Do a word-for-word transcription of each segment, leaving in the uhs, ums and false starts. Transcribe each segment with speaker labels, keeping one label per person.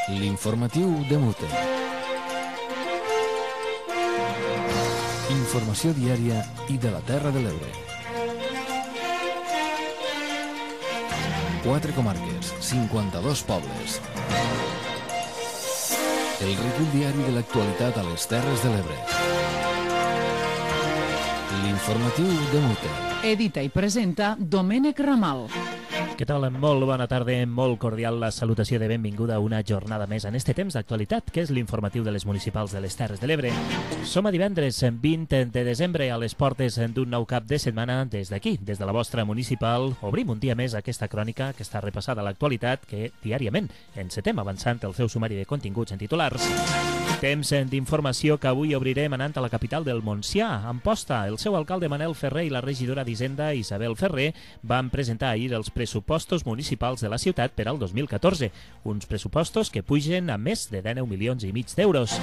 Speaker 1: L'informatiu de Mute. Informació diària i de la Terra de l'Ebre. Quatre comarques, cinquanta-dos pobles. El recull diari de l'actualitat a les Terres de l'Ebre. L'informatiu de Mute.
Speaker 2: Edita i presenta Domènec Ramal.
Speaker 3: Què tal? Molt bona tarda, molt cordial la salutació de benvinguda a una jornada més en este temps d'actualitat, que és l'informatiu de les municipals de les Terres de l'Ebre. Som a divendres vint de desembre a les portes d'un nou cap de setmana. Des d'aquí, des de la vostra municipal, obrim un dia més aquesta crònica que està repassada a l'actualitat, que diàriament encetem avançant el seu sumari de continguts en titulars. Temps d'informació que avui obrirem anant a la capital del Montsià. A Amposta, el seu alcalde Manel Ferrer i la regidora d'Hisenda Isabel Ferrer van presentar ahir els pressupostos municipals de la ciutat per al dos mil catorze, uns pressupostos que pugen a més de dinou milions i mig d'euros.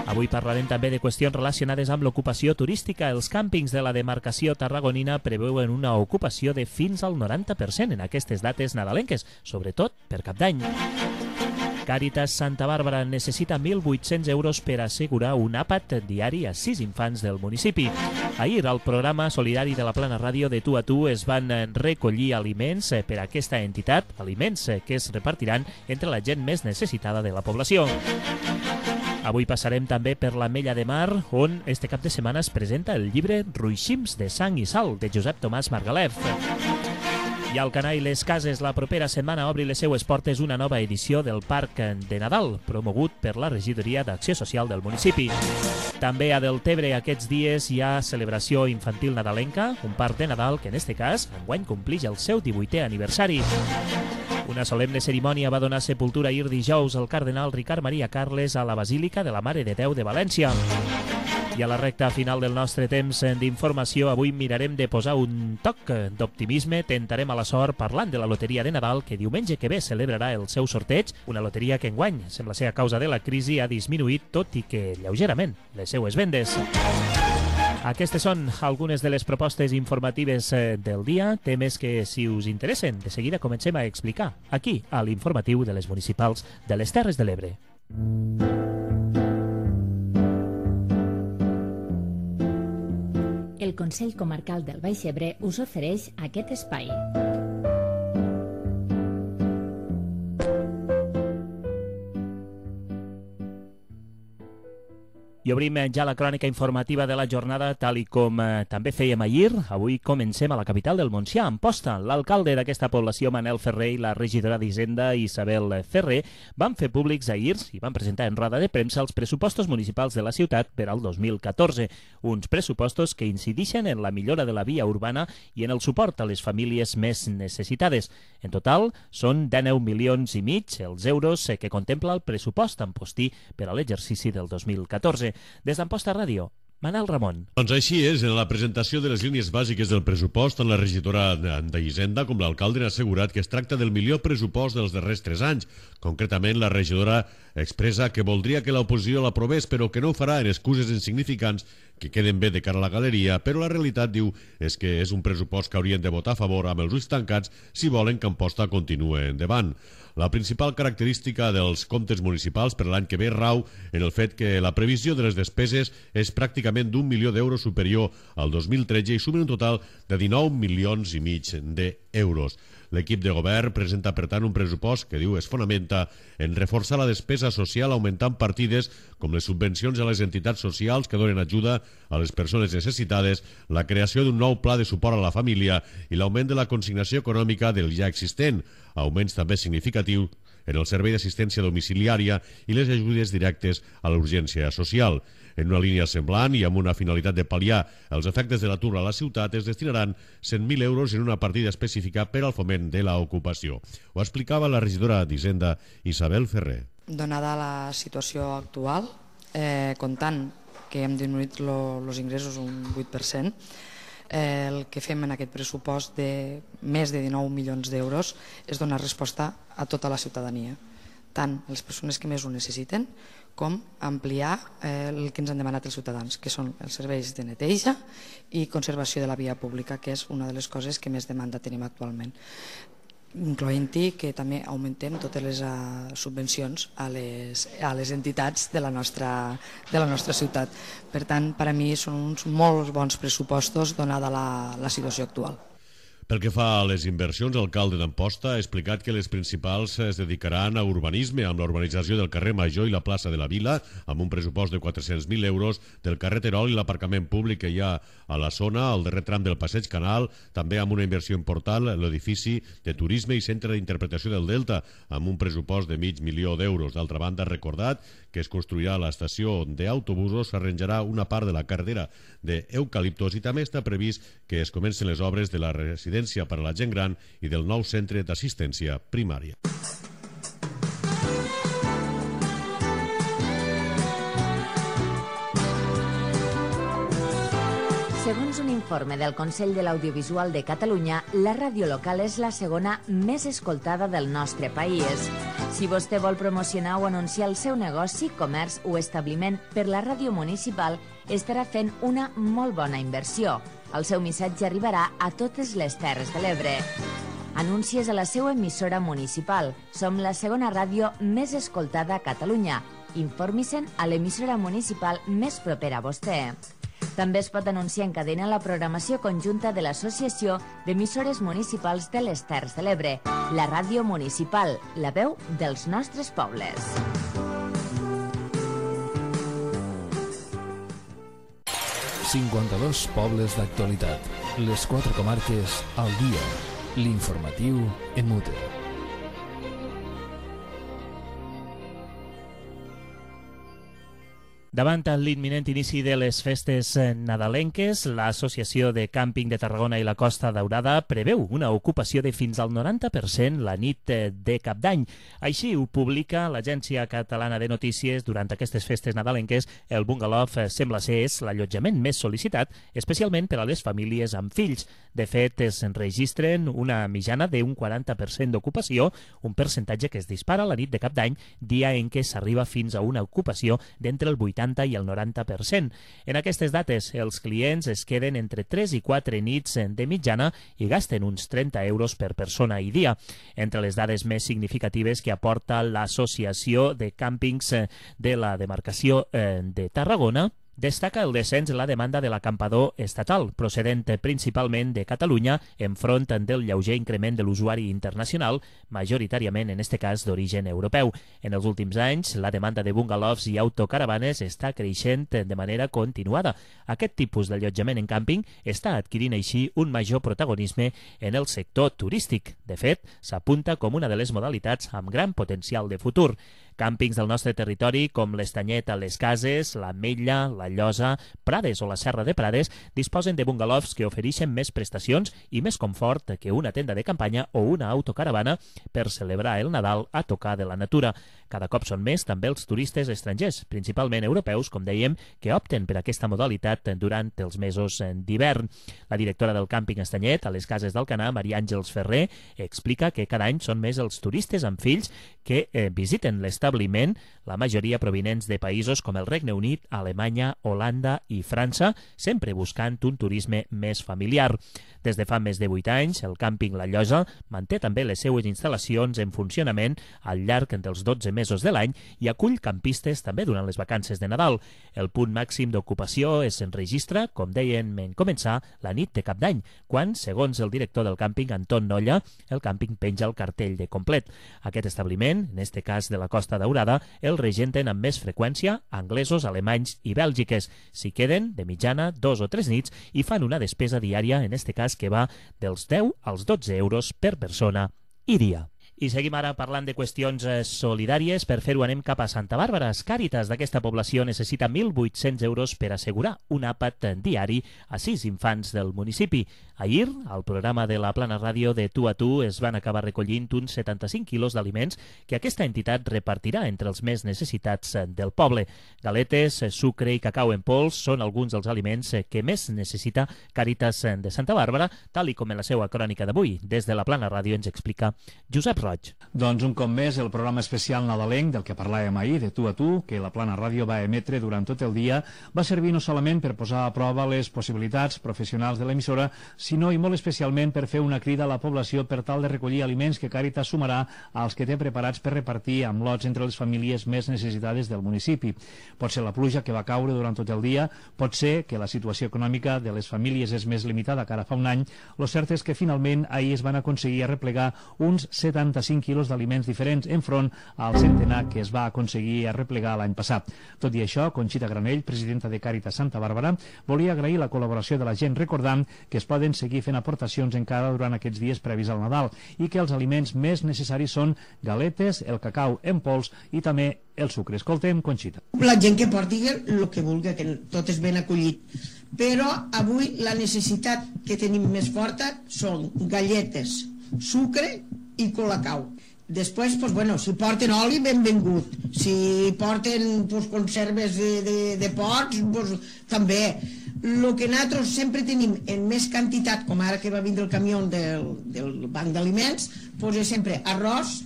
Speaker 3: Avui parlarem també de qüestions relacionades amb l'ocupació turística. Els càmpings de la demarcació tarragonina preveuen una ocupació de fins al noranta per cent en aquestes dates nadalenques, sobretot per Cap d'Any. Càritas Santa Bàrbara necessita mil vuit-cents euros per assegurar un àpat diari a sis infants del municipi. Ahir, al programa solidari de la Plana Ràdio de Tu a Tu es van recollir aliments per a aquesta entitat, aliments que es repartiran entre la gent més necessitada de la població. Avui passarem també per l'Ametlla de Mar, on este cap de setmana es presenta el llibre Ruixims de sang i sal, de Josep Tomàs Margalef. I al Canà i les Cases, la propera setmana obri les seues portes una nova edició del Parc de Nadal, promogut per la Regidoria d'Acció Social del municipi. També a Deltebre aquests dies hi ha celebració infantil nadalenca, un parc de Nadal que en este cas enguany complix el seu divuitè aniversari. Una solemne cerimònia va donar sepultura ahir dijous al cardenal Ricard Maria Carles a la Basílica de la Mare de Déu de València. I a la recta final del nostre temps d'informació, avui mirarem de posar un toc d'optimisme, tentarem a la sort parlant de la loteria de Nadal, que diumenge que ve celebrarà el seu sorteig, una loteria que enguany, sembla ser a causa de la crisi, ha disminuït, tot i que lleugerament, les seues vendes. Aquestes són algunes de les propostes informatives del dia, temes que, si us interessen, de seguida comencem a explicar aquí, a l'informatiu de les municipals de les Terres de l'Ebre.
Speaker 4: El Consell Comarcal del Baix Ebre us ofereix aquest espai.
Speaker 3: I obrim ja la crònica informativa de la jornada, tal i com eh, també fèiem ahir. Avui comencem a la capital del Montsià, a Amposta. L'alcalde d'aquesta població, Manel Ferrer, i la regidora d'Hisenda, Isabel Ferrer, van fer públics ahir i van presentar en roda de premsa els pressupostos municipals de la ciutat per al dos mil catorze. Uns pressupostos que incidixen en la millora de la via urbana i en el suport a les famílies més necessitades. En total, són dinou milions i mig els euros que contempla el pressupost ampostí per a l'exercici del dos mil catorze. Des d'Amposta Ràdio, Manel Ramon.
Speaker 5: Doncs així és, en la presentació de les línies bàsiques del pressupost, tant la regidora d'Hisenda com l'alcalde han assegurat que es tracta del millor pressupost dels darrers tres anys. Concretament, la regidora expressa que voldria que l'oposició l'aprovés, però que no ho farà en excuses insignificants que queden bé de cara a la galeria, però la realitat, diu, és que és un pressupost que haurien de votar a favor amb els ulls tancats si volen que Amposta continuï endavant. La principal característica dels comptes municipals per l'any que ve rau en el fet que la previsió de les despeses és pràcticament d'un milió d'euros superior al dos mil tretze i sumen un total de dinou milions i mig d'euros. L'equip de govern presenta, per tant, un pressupost que, diu, es fonamenta en reforçar la despesa social augmentant partides com les subvencions a les entitats socials que donen ajuda a les persones necessitades, la creació d'un nou pla de suport a la família i l'augment de la consignació econòmica del ja existent, augments també significatius en el servei d'assistència domiciliària i les ajudes directes a l'urgència social. En una línia semblant i amb una finalitat de pal·liar els efectes de l'atur a la ciutat, es destinaran cent mil euros en una partida específica per al foment de l'ocupació. Ho explicava la regidora d'Hisenda, Isabel Ferrer.
Speaker 6: Donada la situació actual, eh, comptant que hem disminuït els ingressos un vuit per cent, eh, el que fem en aquest pressupost de més de dinou milions d'euros és donar resposta a tota la ciutadania, tant a les persones que més ho necessiten com ampliar eh, el que ens han demanat els ciutadans, que són els serveis de neteja i conservació de la via pública, que és una de les coses que més demanda tenim actualment. incloent-hi que també augmentem totes les uh, subvencions a les, a les entitats de la, nostra, de la nostra ciutat. Per tant, per a mi són uns molt bons pressupostos donada la, la situació actual.
Speaker 5: Pel que fa a les inversions, l'alcalde d'Amposta ha explicat que les principals es dedicaran a urbanisme, amb la urbanització del carrer Major i la plaça de la Vila, amb un pressupost de quatre-cents mil euros, del carrer Terol i l'aparcament públic que hi ha a la zona, al darrer tram del Passeig Canal, també amb una inversió important, l'edifici de turisme i centre d'interpretació del Delta, amb un pressupost de mig milió d'euros. D'altra banda, ha recordat que es construirà a l'estació d'autobusos, s'arranjarà una part de la carretera d'eucaliptos i també està previst que es comencen les obres de la residència per a la gent gran i del nou centre d'assistència primària.
Speaker 7: Segons un informe del Consell de l'Audiovisual de Catalunya, la ràdio local és la segona més escoltada del nostre país. Si vostè vol promocionar o anunciar el seu negoci, comerç o establiment per la ràdio municipal, estarà fent una molt bona inversió. El seu missatge arribarà a totes les Terres de l'Ebre. Anuncies a la seva emissora municipal. Som la segona ràdio més escoltada a Catalunya. Informi-se'n a l'emissora municipal més propera a vostè. També es pot anunciar en cadena la programació conjunta de l'Associació d'Emissores Municipals de les Terres de l'Ebre, la ràdio municipal, la veu dels nostres pobles.
Speaker 1: cinquanta-dos pobles d'actualitat. Les quatre comarques al dia. L'informatiu en mute.
Speaker 3: Davant l'imminent inici de les festes nadalenques, l'Associació de Càmping de Tarragona i la Costa Daurada preveu una ocupació de fins al noranta per cent la nit de Cap d'Any. Així ho publica l'Agència Catalana de Notícies. Durant aquestes festes nadalenques, el bungalow sembla ser és l'allotjament més sol·licitat, especialment per a les famílies amb fills. De fet, es registren una mitjana d'un quaranta per cent d'ocupació, un percentatge que es dispara la nit de Cap d'Any, dia en què s'arriba fins a una ocupació d'entre el vuitanta i el noranta per cent. En aquestes dates, els clients es queden entre tres i quatre nits de mitjana i gasten uns trenta euros per persona i dia. Entre les dades més significatives que aporta l'Associació de Càmpings de la demarcació de Tarragona, destaca el descens en la demanda de l'acampador estatal, procedent principalment de Catalunya, enfront del lleuger increment de l'usuari internacional, majoritàriament, en aquest cas, d'origen europeu. En els últims anys, la demanda de bungalows i autocaravanes està creixent de manera continuada. Aquest tipus d'allotjament en càmping està adquirint així un major protagonisme en el sector turístic. De fet, s'apunta com una de les modalitats amb gran potencial de futur. Càmpings del nostre territori, com l'Estanyet a les Cases, l'Ametlla, la Llosa, Prades o la Serra de Prades, disposen de bungalows que ofereixen més prestacions i més confort que una tenda de campanya o una autocaravana per celebrar el Nadal a tocar de la natura. Cada cop són més també els turistes estrangers, principalment europeus, com dèiem, que opten per aquesta modalitat durant els mesos d'hivern. La directora del càmping Estanyet, a les Cases d'Alcanar, Maria Àngels Ferrer, explica que cada any són més els turistes amb fills que eh, visiten l'establiment, la majoria provinents de països com el Regne Unit, Alemanya, Holanda i França, sempre buscant un turisme més familiar. Des de fa més de vuit anys, el càmping La Llosa manté també les seues instal·lacions en funcionament al llarg dels dotze mesos de l'any i acull campistes també durant les vacances de Nadal. El punt màxim d'ocupació es enregistra, com deien en començar, la nit de Cap d'Any, quan, segons el director del càmping, Anton Nolla, el càmping penja el cartell de complet. Aquest establiment, en este cas de la Costa Daurada, el regenten amb més freqüència anglesos, alemanys i bèlgiques. S'hi queden, de mitjana, dos o tres nits i fan una despesa diària, en este cas que va dels deu als dotze euros per persona i dia. I seguim ara parlant de qüestions solidàries. Per fer-ho anem cap a Santa Bàrbara. Càritas d'aquesta població necessita mil vuit-cents euros per assegurar un àpat diari a sis infants del municipi. Ahir, al programa de la Plana Ràdio de Tu a Tu, es van acabar recollint uns setanta-cinc quilos d'aliments que aquesta entitat repartirà entre els més necessitats del poble. Galetes, sucre i cacau en pols són alguns dels aliments que més necessita Càritas de Santa Bàrbara, tal i com en la seva crònica d'avui. Des de la Plana Ràdio ens explica Josep Roig.
Speaker 8: Doncs un cop més el programa especial nadalenc del que parlàvem ahir, de Tu a Tu, que la Plana Ràdio va emetre durant tot el dia, va servir no solament per posar a prova les possibilitats professionals de l'emissora, sinó i molt especialment per fer una crida a la població per tal de recollir aliments que Càritas sumarà als que té preparats per repartir amb lots entre les famílies més necessitades del municipi. Pot ser la pluja que va caure durant tot el dia, pot ser que la situació econòmica de les famílies és més limitada que ara fa un any. Lo cert és que finalment ahir es van aconseguir arreplegar uns setanta-cinc quilos d'aliments diferents enfront al centenar que es va aconseguir arreplegar l'any passat. Tot i això, Conxita Granell, presidenta de Càritas Santa Bàrbara, volia agrair la col·laboració de la gent, recordant que es poden seguir fent aportacions encara durant aquests dies previs al Nadal i que els aliments més necessaris són galetes, el cacau en pols i també el sucre. Escoltem Conxita.
Speaker 9: La gent que porti el que vulgui, que tot és ben acollit. Però avui la necessitat que tenim més forta són galletes, sucre i colacau. Després, pues, bueno, si porten oli, benvingut. Si porten pues, conserves de, de, de pots, pues, també. El que nosaltres sempre tenim en més quantitat, com ara que va vindre el camió del, del banc d'aliments, pues, és sempre arròs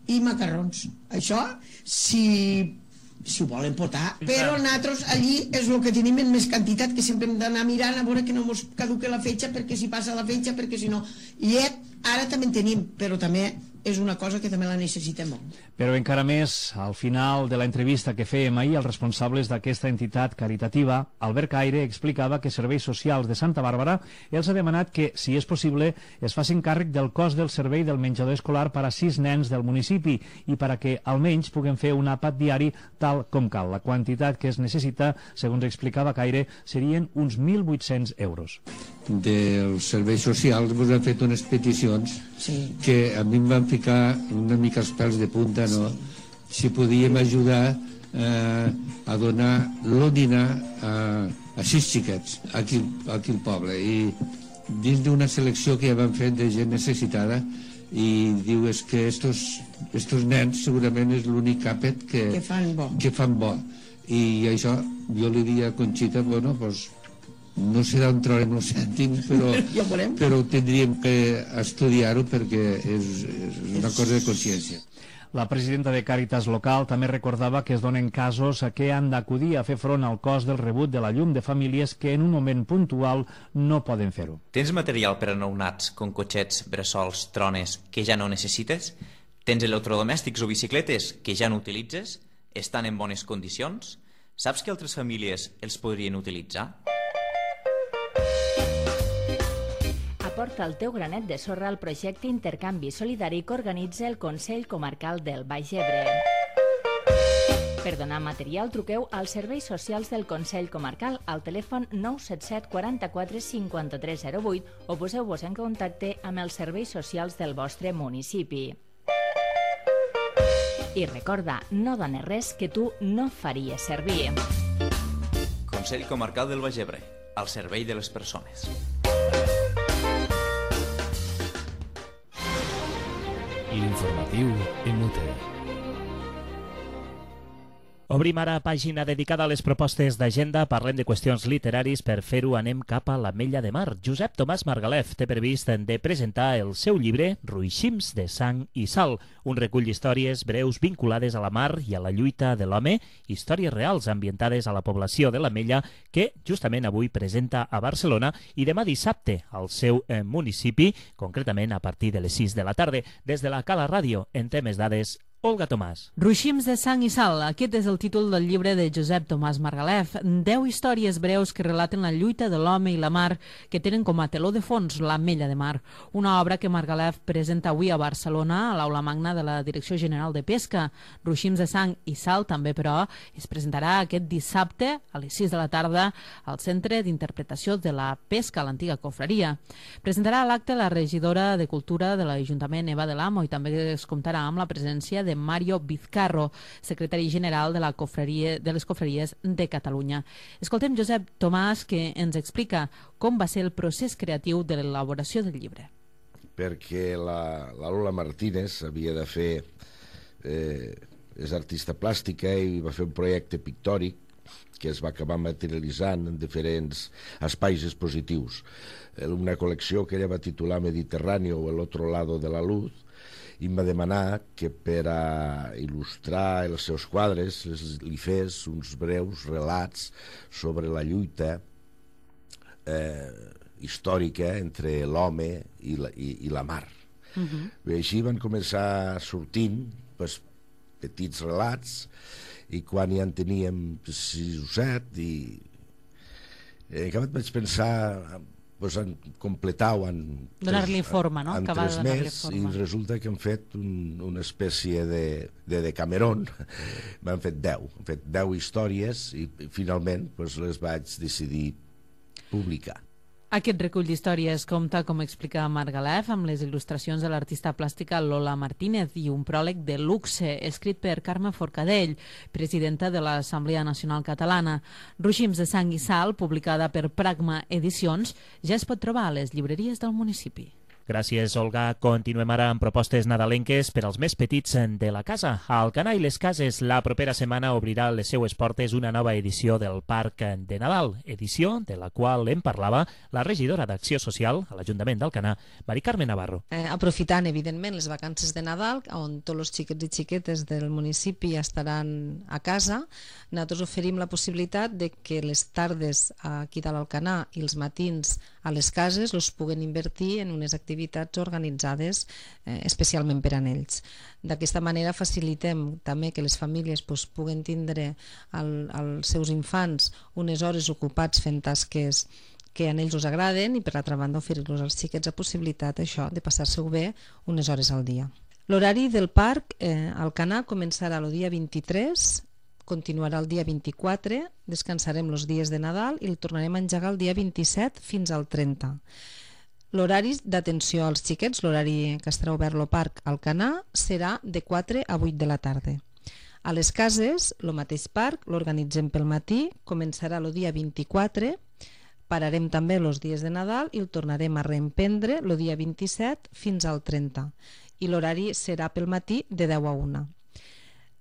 Speaker 9: i macarrons. Això, si, si ho volen portar. Però nosaltres allí és el que tenim en més quantitat, que sempre hem d'anar mirant a veure que no ens caduque la fetge, perquè si passa la fetge, perquè si no... Llet, ara també en tenim, però també és una cosa que també la necessitem molt.
Speaker 8: Però encara més, al final de l'entrevista que fèiem ahir, els responsables d'aquesta entitat caritativa, Albert Caire, explicava que Serveis Socials de Santa Bàrbara els ha demanat que, si és possible, es facin càrrec del cost del servei del menjador escolar per a sis nens del municipi i per a que almenys puguem fer un àpat diari tal com cal. La quantitat que es necessita, segons explicava Caire, serien uns mil vuit-cents euros.
Speaker 10: Dels serveis socials vos han fet unes peticions
Speaker 9: sí.
Speaker 10: que a mi em van ficar una mica els pèls de punta, no? Si podíem ajudar eh, a donar l'òdina a, a sis xiquets aquí, aquí al poble, i dins d'una selecció que ja van fet de gent necessitada, i diu és que estos, estos nens segurament és l'únic àpat que,
Speaker 9: que, fan bo.
Speaker 10: que fan bo, i això jo li diria a Conxita, bueno, doncs no sé d'on traurem el cèntim, però,
Speaker 9: ja
Speaker 10: però tindríem que estudiar-ho perquè és, és una cosa de consciència.
Speaker 8: La presidenta de Càritas local també recordava que es donen casos a què han d'acudir a fer front al cost del rebut de la llum de famílies que en un moment puntual no poden fer-ho.
Speaker 11: Tens material per a nounats, com cotxets, bressols, trones, que ja no necessites? Tens electrodomèstics o bicicletes que ja no utilitzes? Estan en bones condicions? Saps que altres famílies els podrien utilitzar?
Speaker 7: Aporta el teu granet de sorra al projecte Intercanvi Solidari que organitza el Consell Comarcal del Baix Ebre. Per donar material, truqueu als serveis socials del Consell Comarcal al telèfon nou set set quaranta-quatre cinquanta-tres zero vuit o poseu-vos en contacte amb els serveis socials del vostre municipi. I recorda, no dones res que tu no faries servir.
Speaker 11: Consell Comarcal del Baix Ebre, al servei de les persones.
Speaker 1: L'informatiu Emute.
Speaker 3: Obrim ara pàgina dedicada a les propostes d'agenda. Parlem de qüestions literaris. Per fer-ho anem cap a l'Ametlla de Mar. Josep Tomàs Margalef té previst de presentar el seu llibre Ruixims de sang i sal, un recull d'històries breus vinculades a la mar i a la lluita de l'home, històries reals ambientades a la població de l'Ametlla, que justament avui presenta a Barcelona i demà dissabte al seu eh, municipi, concretament a partir de les sis de la tarda. Des de la Cala Ràdio en té més dades Olga Tomàs.
Speaker 2: Ruixims de sang i sal. Aquest és el títol del llibre de Josep Tomàs Margalef. Deu històries breus que relaten la lluita de l'home i la mar, que tenen com a teló de fons l'Ametlla de Mar. Una obra que Margalef presenta avui a Barcelona, a l'Aula Magna de la Direcció General de Pesca. Ruixims de sang i sal també, però, es presentarà aquest dissabte a les sis de la tarda al Centre d'Interpretació de la Pesca, a l'antiga confraria. Presentarà a l'acte la regidora de Cultura de l'Ajuntament, Eva de l'Amo, i també es comptarà amb la presència de Mario Vizcarro, secretari general de, la cofreria, de les Cofreries de Catalunya. Escoltem Josep Tomàs, que ens explica com va ser el procés creatiu de l'elaboració del llibre.
Speaker 12: Perquè la, la Lola Martínez havia de fer... Eh, és artista plàstica i va fer un projecte pictòric que es va acabar materialitzant en diferents espais expositius. Una col·lecció que ella va titular Mediterráneo o el otro lado de la luz, i em va demanar que per a il·lustrar els seus quadres li fes uns breus relats sobre la lluita eh, històrica entre l'home i, la, i, i la mar. Uh-huh. I així van començar sortint pues, petits relats, i quan ja en teníem sis o set i en acabat vaig pensar pues, en completar-ho en
Speaker 2: donar-li forma, no?
Speaker 12: En tres més, i resulta que han fet un, una espècie de, de Decameron. M'han fet deu, han fet deu històries i finalment pues, les vaig decidir publicar.
Speaker 2: Aquest recull d'històries compta, com explica Margalef, amb les il·lustracions de l'artista plàstica Lola Martínez i un pròleg de luxe escrit per Carme Forcadell, presidenta de l'Assemblea Nacional Catalana. Ruixins de sang i sal, publicada per Pragma Edicions, ja es pot trobar a les llibreries del municipi.
Speaker 3: Gràcies, Olga. Continuem ara amb propostes nadalenques per als més petits de la casa. A Alcanar i les Cases, la propera setmana obrirà les seues portes una nova edició del Parc de Nadal, edició de la qual en parlava la regidora d'Acció Social a l'Ajuntament d'Alcanar, Mari Carme Navarro.
Speaker 13: Eh, aprofitant, evidentment, les vacances de Nadal, on tots els xiquets i xiquetes del municipi estaran a casa, nosaltres oferim la possibilitat de que les tardes aquí a l'Alcanar i els matins a les cases els puguen invertir en unes activitats activitats organitzades eh, especialment per a ells. D'aquesta manera facilitem també que les famílies pues, puguen tindre el, els seus infants unes hores ocupats fent tasques que a ells us agraden i per altra banda oferir-los als xiquets la possibilitat això de passar-se-ho bé unes hores al dia. L'horari del parc eh, Alcanar començarà el dia vint-i-tres, continuarà el dia vint-i-quatre, descansarem els dies de Nadal i el tornarem a engegar el dia vint-i-set fins al trenta. L'horari d'atenció als xiquets, l'horari que estarà obert al Parc Alcanar, serà de quatre a vuit de la tarda. A les cases, el mateix parc, l'organitzem pel matí, començarà el dia vint-i-quatre, pararem també els dies de Nadal i el tornarem a reemprendre el dia vint-i-set fins al trenta. I l'horari serà pel matí de deu a una.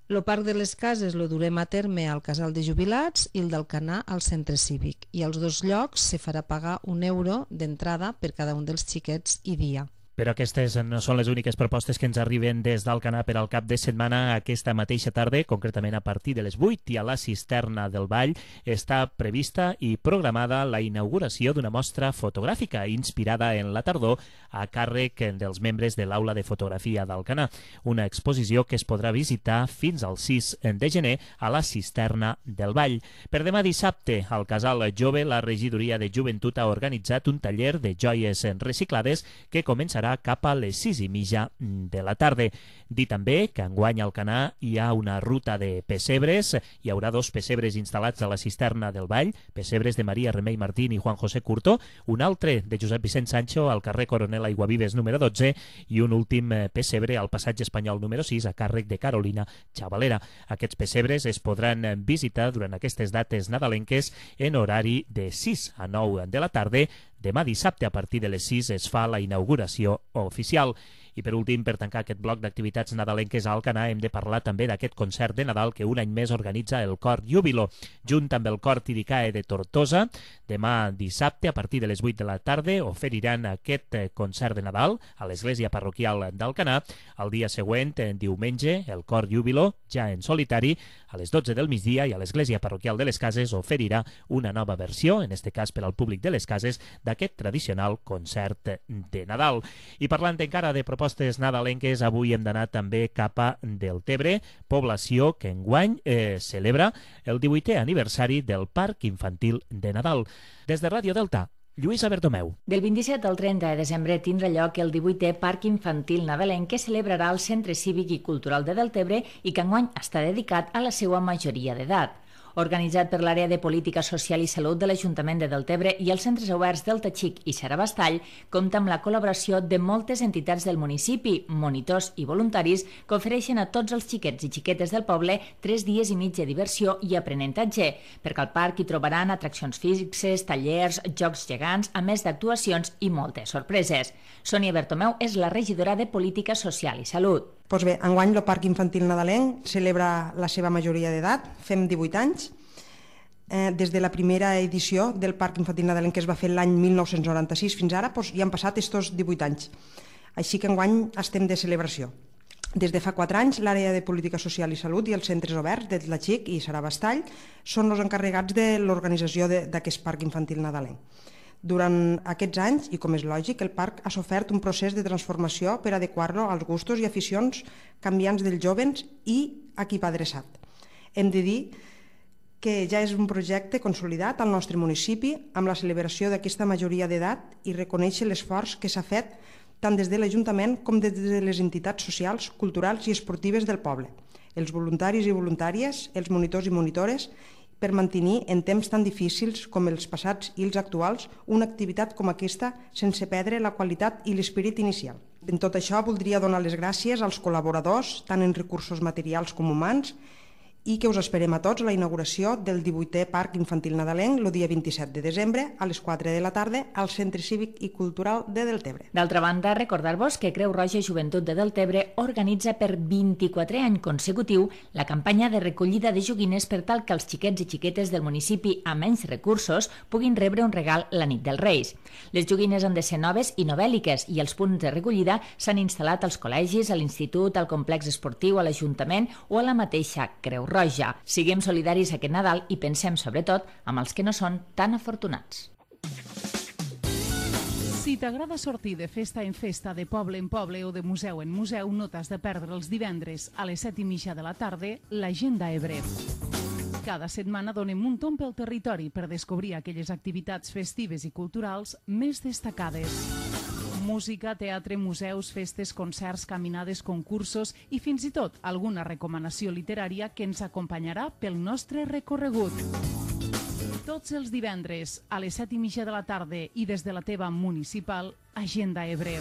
Speaker 13: El Parc de les Cases el durem a terme al Casal de Jubilats i el d'Alcanar al Centre Cívic. I als dos llocs se farà pagar un euro d'entrada per cada un dels xiquets i dia.
Speaker 3: Però aquestes no són les úniques propostes que ens arriben des d'Alcanar per al cap de setmana. Aquesta mateixa tarda, concretament a partir de les vuit, i a la Cisterna del Vall està prevista i programada la inauguració d'una mostra fotogràfica inspirada en la tardor a càrrec dels membres de l'Aula de Fotografia d'Alcanar. Una exposició que es podrà visitar fins al sis de gener a la Cisterna del Vall. Per demà dissabte, al Casal Jove, la Regidoria de Joventut ha organitzat un taller de joies reciclades que començarà cap a les sis i mitja de la tarda. Dir també que enguany a Alcanar hi ha una ruta de pessebres. Hi haurà dos pessebres instal·lats a la Cisterna del Vall, pessebres de Maria Remei Martín i Juan José Curto, un altre de Josep Vicent Sancho al carrer Coronel Aiguavives número dotze i un últim pessebre al passatge Espanyol número sis a càrrec de Carolina Chavalera. Aquests pessebres es podran visitar durant aquestes dates nadalenques en horari de sis a nou de la tarda. Demà dissabte, a partir de les sis, es fa la inauguració oficial. I per últim, per tancar aquest bloc d'activitats nadalenques a Alcanar, hem de parlar també d'aquest concert de Nadal que un any més organitza el Cor Júbilo, junt amb el Cor Tiricae de Tortosa. Demà dissabte, a partir de les vuit de la tarda, oferiran aquest concert de Nadal a l'església parroquial d'Alcanar. El dia següent, diumenge, el Cor Júbilo, ja en solitari, a les dotze del migdia, i a l'església parroquial de les Cases oferirà una nova versió, en este cas per al públic de les Cases, d'aquest tradicional concert de Nadal. I parlant encara de propostes nadalenques, avui hem d'anar també cap a Deltebre, població que enguany eh, celebra el divuitè aniversari del Parc Infantil de Nadal. Des de Ràdio Delta, Lluïsa Bertomeu.
Speaker 4: Del vint-i-set al trenta de desembre tindrà lloc el divuitè Parc Infantil Nadalenc que celebrarà el Centre Cívic i Cultural de Deltebre i que enguany està dedicat a la seva majoria d'edat. Organitzat per l'Àrea de Política Social i Salut de l'Ajuntament de Deltebre i els centres oberts Delta Xic i Xarabastall, compta amb la col·laboració de moltes entitats del municipi, monitors i voluntaris que ofereixen a tots els xiquets i xiquetes del poble tres dies i mig de diversió i aprenentatge, perquè al parc hi trobaran atraccions fixes, tallers, jocs gegants, a més d'actuacions i moltes sorpreses. Sònia Bertomeu és la regidora de Política Social i Salut.
Speaker 14: Doncs bé, enguany el Parc Infantil Nadalenc celebra la seva majoria d'edat, fem divuit anys. Eh, des de la primera edició del Parc Infantil Nadalenc que es va fer l'any mil nou-cents noranta-sis fins ara, doncs ja han passat estos divuit anys. així que enguany estem de celebració. Des de fa quatre anys, l'àrea de Política Social i Salut i els centres oberts de Tlaxic i Sarabastall són els encarregats de l'organització d'aquest parc infantil nadalenc. Durant aquests anys, i com és lògic, el parc ha sofert un procés de transformació per adequar-lo als gustos i aficions canviants dels joves i a qui va adreçat. Hem de dir que ja és un projecte consolidat al nostre municipi amb la celebració d'aquesta majoria d'edat i reconèixer l'esforç que s'ha fet tant des de l'Ajuntament com des de les entitats socials, culturals i esportives del poble, els voluntaris i voluntàries, els monitors i monitores, per mantenir en temps tan difícils com els passats i els actuals una activitat com aquesta sense perdre la qualitat i l'esperit inicial. En tot això voldria donar les gràcies als col·laboradors, tant en recursos materials com humans, i que us esperem a tots a la inauguració del divuitè Parc Infantil Nadalenc el dia vint-i-set de desembre a les quatre de la tarda al Centre Cívic i Cultural de Deltebre.
Speaker 4: D'altra banda, recordar-vos que Creu Roja Joventut de Deltebre organitza per vint-i-quatre any consecutiu la campanya de recollida de joguines per tal que els xiquets i xiquetes del municipi amb menys recursos puguin rebre un regal la nit dels Reis. Les joguines han de ser noves i novèl·liques i els punts de recollida s'han instal·lat als col·legis, a l'institut, al complex esportiu, a l'Ajuntament o a la mateixa Creu Roja. Siguem solidaris aquest Nadal i pensem sobretot amb els que no són tan afortunats.
Speaker 15: Si t'agrada sortir de festa en festa, de poble en poble o de museu en museu, no t'has de perdre els divendres a les set i mitja de la tarda l'Agenda Ebre. Cada setmana donem un tomb pel territori per descobrir aquelles activitats festives i culturals més destacades. Música, teatre, museus, festes, concerts, caminades, concursos i fins i tot alguna recomanació literària que ens acompanyarà pel nostre recorregut. Tots els divendres a les set i mitja de la tarda i des de la teva municipal Agenda Ebre.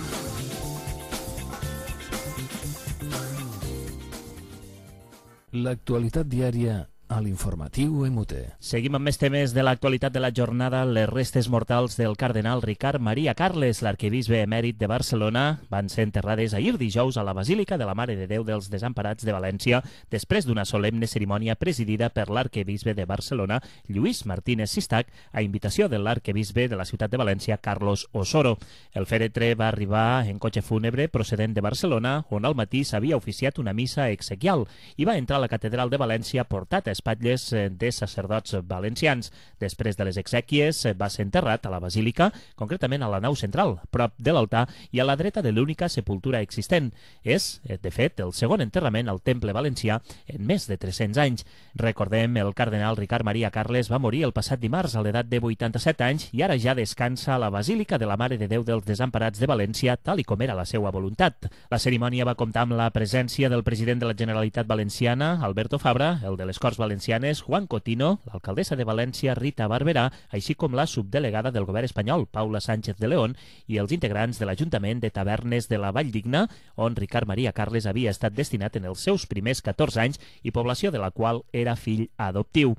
Speaker 1: L'actualitat diària a l'informatiu M T.
Speaker 3: Seguim amb més temes de l'actualitat de la jornada. Les restes mortals del cardenal Ricard Maria Carles, l'arquebisbe emèrit de Barcelona, van ser enterrades ahir dijous a la Basílica de la Mare de Déu dels Desemparats de València, després d'una solemne cerimònia presidida per l'arquebisbe de Barcelona, Lluís Martínez Sistac, a invitació de l'arquebisbe de la ciutat de València, Carlos Osoro. El fèretre va arribar en cotxe fúnebre procedent de Barcelona, on al matí s'havia oficiat una missa exequial, i va entrar a la catedral de València portat a espatlles de sacerdots valencians. Després de les exèquies va ser enterrat a la Basílica, concretament a la nau central, prop de l'altar i a la dreta de l'única sepultura existent. És, de fet, el segon enterrament al Temple Valencià en més de tres-cents anys. Recordem, el cardenal Ricard Maria Carles va morir el passat dimarts a l'edat de vuitanta-set anys i ara ja descansa a la Basílica de la Mare de Déu dels Desemparats de València, tal i com era la seva voluntat. La cerimònia va comptar amb la presència del president de la Generalitat Valenciana, Alberto Fabra, el de les Corts Valencianes, Juan Cotino, l'alcaldessa de València, Rita Barberà, així com la subdelegada del govern espanyol, Paula Sánchez de León, i els integrants de l'Ajuntament de Tavernes de la Valldigna, on Ricard Maria Carles havia estat destinat en els seus primers catorze anys i població de la qual era fill adoptiu.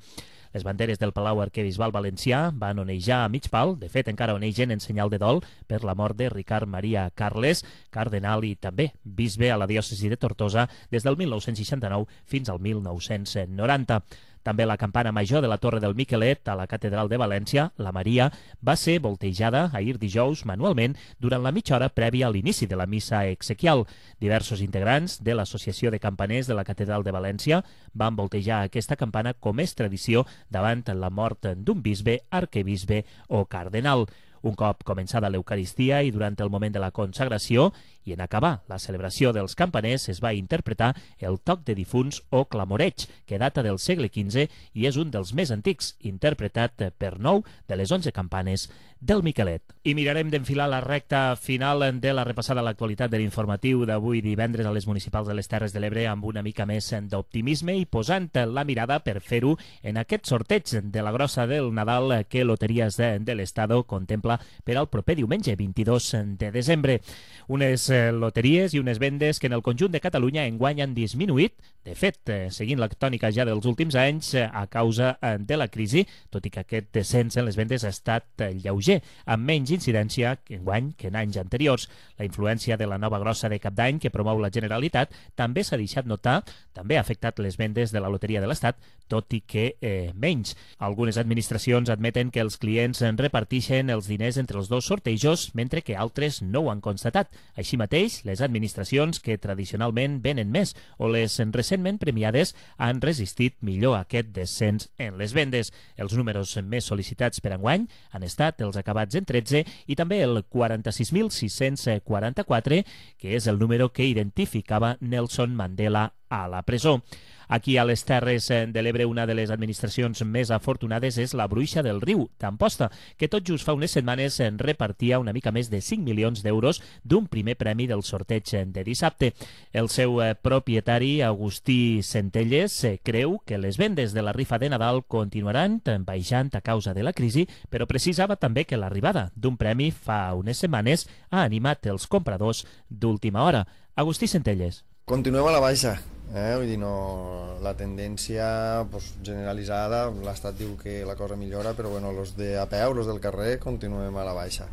Speaker 3: Les banderes del Palau Arquebisbal Valencià van onejar a mig pal, de fet encara onegen en senyal de dol per la mort de Ricard Maria Carles, cardenal i també bisbe a la diòcesi de Tortosa des del mil nou-cents seixanta-nou fins al mil nou-cents noranta. També la campana major de la Torre del Miquelet a la Catedral de València, la Maria, va ser voltejada ahir dijous manualment durant la mitja hora prèvia a l'inici de la missa exequial. Diversos integrants de l'Associació de Campaners de la Catedral de València van voltejar aquesta campana com és tradició davant la mort d'un bisbe, arquebisbe o cardenal. Un cop començada l'Eucaristia i durant el moment de la consagració i en acabar la celebració dels campaners es va interpretar el toc de difunts o clamoreig, que data del segle quinze i és un dels més antics, interpretat per nou de les onze campanes del Miquelet. I mirarem d'enfilar la recta final de la repassada a l'actualitat de l'informatiu d'avui divendres a les municipals de les Terres de l'Ebre amb una mica més d'optimisme i posant la mirada per fer-ho en aquest sorteig de la grossa del Nadal que Loteries de, de l'Estado contempla per al proper diumenge vint-i-dos de desembre. Unes loteries i unes vendes que en el conjunt de Catalunya enguany han disminuït, de fet, seguint la tònica ja dels últims anys a causa de la crisi, tot i que aquest descens en les vendes ha estat lleuger, amb menys incidència enguany que en anys anteriors. La influència de la nova grossa de Cap d'Any que promou la Generalitat també s'ha deixat notar, també ha afectat les vendes de la Loteria de l'Estat, tot i que eh, menys. Algunes administracions admeten que els clients repartixen els diners entre els dos sortejos, mentre que altres no ho han constatat. Així mateix, les administracions que tradicionalment venen més o les recentment premiades han resistit millor aquest descens en les vendes. Els números més sol·licitats per enguany han estat els acabats en tretze i també el quaranta-sis mil sis-cents quaranta-quatre, que és el número que identificava Nelson Mandela a la presó. Aquí a les Terres de l'Ebre una de les administracions més afortunades és la Bruixa del Riu, d'Amposta, que tot just fa unes setmanes repartia una mica més de cinc milions d'euros d'un primer premi del sorteig de dissabte. El seu propietari, Agustí Centelles, creu que les vendes de la rifa de Nadal continuaran baixant a causa de la crisi, però precisava també que l'arribada d'un premi fa unes setmanes ha animat els compradors d'última hora. Agustí Centelles.
Speaker 16: Continuem a la baixa. Eh? Vull dir, no, la tendència pues, generalitzada, l'Estat diu que la cosa millora, però bueno, los de a peu, los del carrer, continuem a la baixa.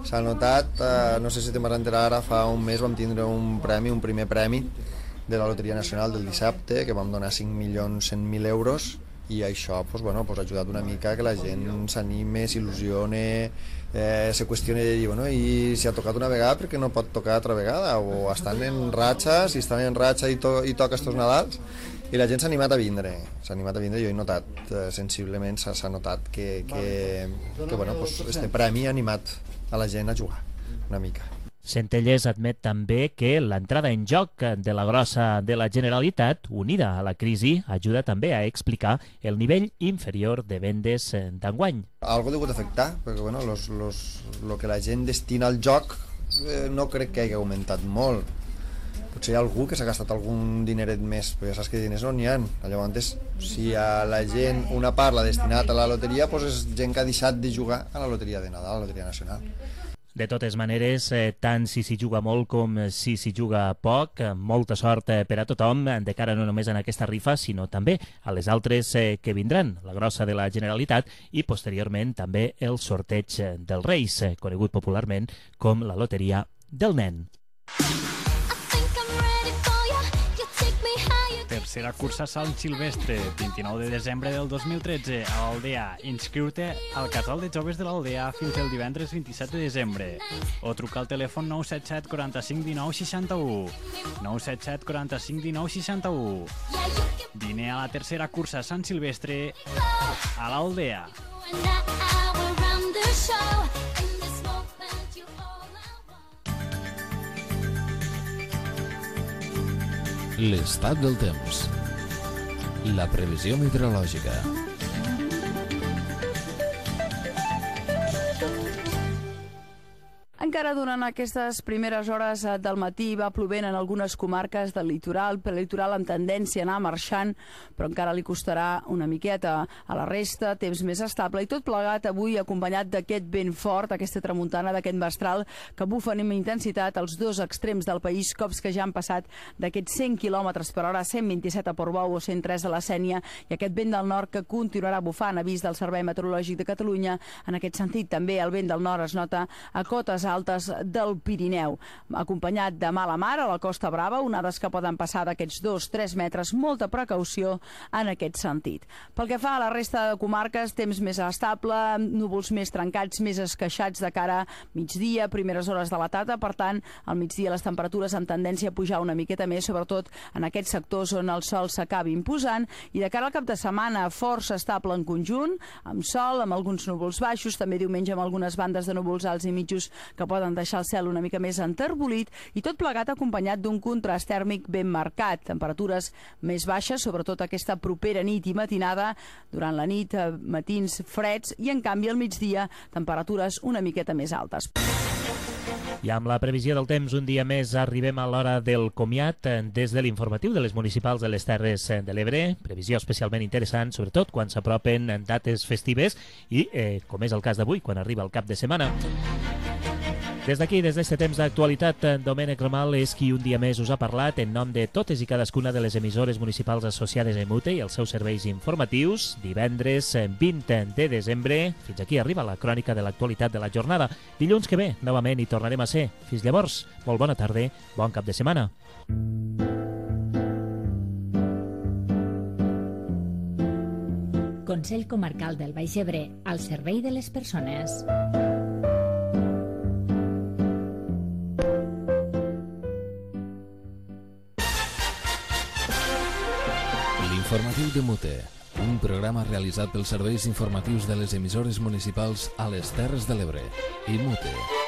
Speaker 16: S'ha notat, eh, no sé si te'n vas enterar ara, fa un mes vam tindre un premi, un primer premi de la Loteria Nacional del dissabte, que vam donar cinc milions cent mil euros, i això pues, bueno, pues, ha ajudat una mica que la gent s'anime, s'il·lusione, eh, se qüestioni de dir, bueno, i si ha tocat una vegada, perquè no pot tocar altra vegada? O estan en ratxa, si estan en ratxa i, to i toca estos Nadals, i la gent s'ha animat a vindre, s'ha animat a vindre, jo he notat, eh, sensiblement s'ha notat que, que, que bueno, pues, este premi ha animat a la gent a jugar una mica.
Speaker 3: Centelles admet també que l'entrada en joc de la grossa de la Generalitat, unida a la crisi, ajuda també a explicar el nivell inferior de vendes d'enguany.
Speaker 16: Algo degut afectar, perquè bueno, los, los, lo que la gent destina al joc eh, no crec que hagi augmentat molt. Potser hi ha algú que s'ha gastat algun dineret més, però ja saps que diners no n'hi ha. Llavors, si a la gent una part l'ha destinat a la loteria, doncs és gent que ha deixat de jugar a la loteria de Nadal, a la loteria nacional.
Speaker 3: De totes maneres, eh, tant si s'hi juga molt com si s'hi juga poc, eh, molta sort eh, per a tothom, de cara no només en aquesta rifa, sinó també a les altres eh, que vindran, la grossa de la Generalitat i posteriorment també el sorteig dels Reis, eh, conegut popularment com la Loteria del Nen.
Speaker 17: Tercera cursa Sant Silvestre, vint-i-nou de desembre del dos mil tretze, a l'Aldea. Inscriu-te al casal de joves de l'Aldea fins el divendres vint-i-set de desembre. O truca al telèfon nou set set quaranta-cinc dinou seixanta-u. nou set set quaranta-cinc dinou seixanta-u. Vine a la tercera cursa Sant Silvestre a l'Aldea.
Speaker 1: L'estat del temps. La previsió meteorològica.
Speaker 18: Encara durant aquestes primeres hores del matí va plovent en algunes comarques del litoral, per litoral amb tendència a anar marxant, però encara li costarà una miqueta. A la resta, temps més estable i tot plegat avui acompanyat d'aquest vent fort, aquesta tramuntana d'aquest mestral que bufen amb intensitat als dos extrems del país, cops que ja han passat d'aquests cent quilòmetres per hora, cent vint-i-set a Portbou o cent tres a la Sénia, i aquest vent del nord que continuarà bufant, avís del Servei Meteorològic de Catalunya. En aquest sentit, també el vent del nord es nota a cotes altes del Pirineu, acompanyat de mala mar a la Costa Brava, onades que poden passar d'aquests dos a tres metres, molta precaució en aquest sentit. Pel que fa a la resta de comarques, temps més estable, núvols més trencats, més esqueixats de cara a migdia, primeres hores de la tarda, per tant, al migdia les temperatures amb tendència a pujar una miqueta més, sobretot en aquests sectors on el sol s'acabi imposant, i de cara al cap de setmana força estable en conjunt, amb sol, amb alguns núvols baixos, també diumenge amb algunes bandes de núvols alts i mitjos que poden deixar el cel una mica més enterbolit, i tot plegat acompanyat d'un contrast tèrmic ben marcat. Temperatures més baixes, sobretot aquesta propera nit i matinada, durant la nit matins freds, i en canvi al migdia temperatures una miqueta més altes.
Speaker 3: I amb la previsió del temps, un dia més arribem a l'hora del comiat des de l'informatiu de les municipals de les Terres de l'Ebre. Previsió especialment interessant, sobretot quan s'apropen dates festives i, eh, com és el cas d'avui, quan arriba el cap de setmana. Des d'aquí, des d'aquest temps d'actualitat, Domènec Ramal és qui un dia més us ha parlat en nom de totes i cadascuna de les emissores municipals associades a Emute i els seus serveis informatius. Divendres vint de desembre, fins aquí arriba la crònica de l'actualitat de la jornada. Dilluns que ve, novament hi tornarem a ser. Fins llavors, molt bona tarda, bon cap de setmana.
Speaker 4: Consell Comarcal del Baix Ebre, al servei de les persones.
Speaker 1: L'informatiu de Mute, un programa realitzat pels serveis informatius de les emissores municipals a les Terres de l'Ebre i Mute.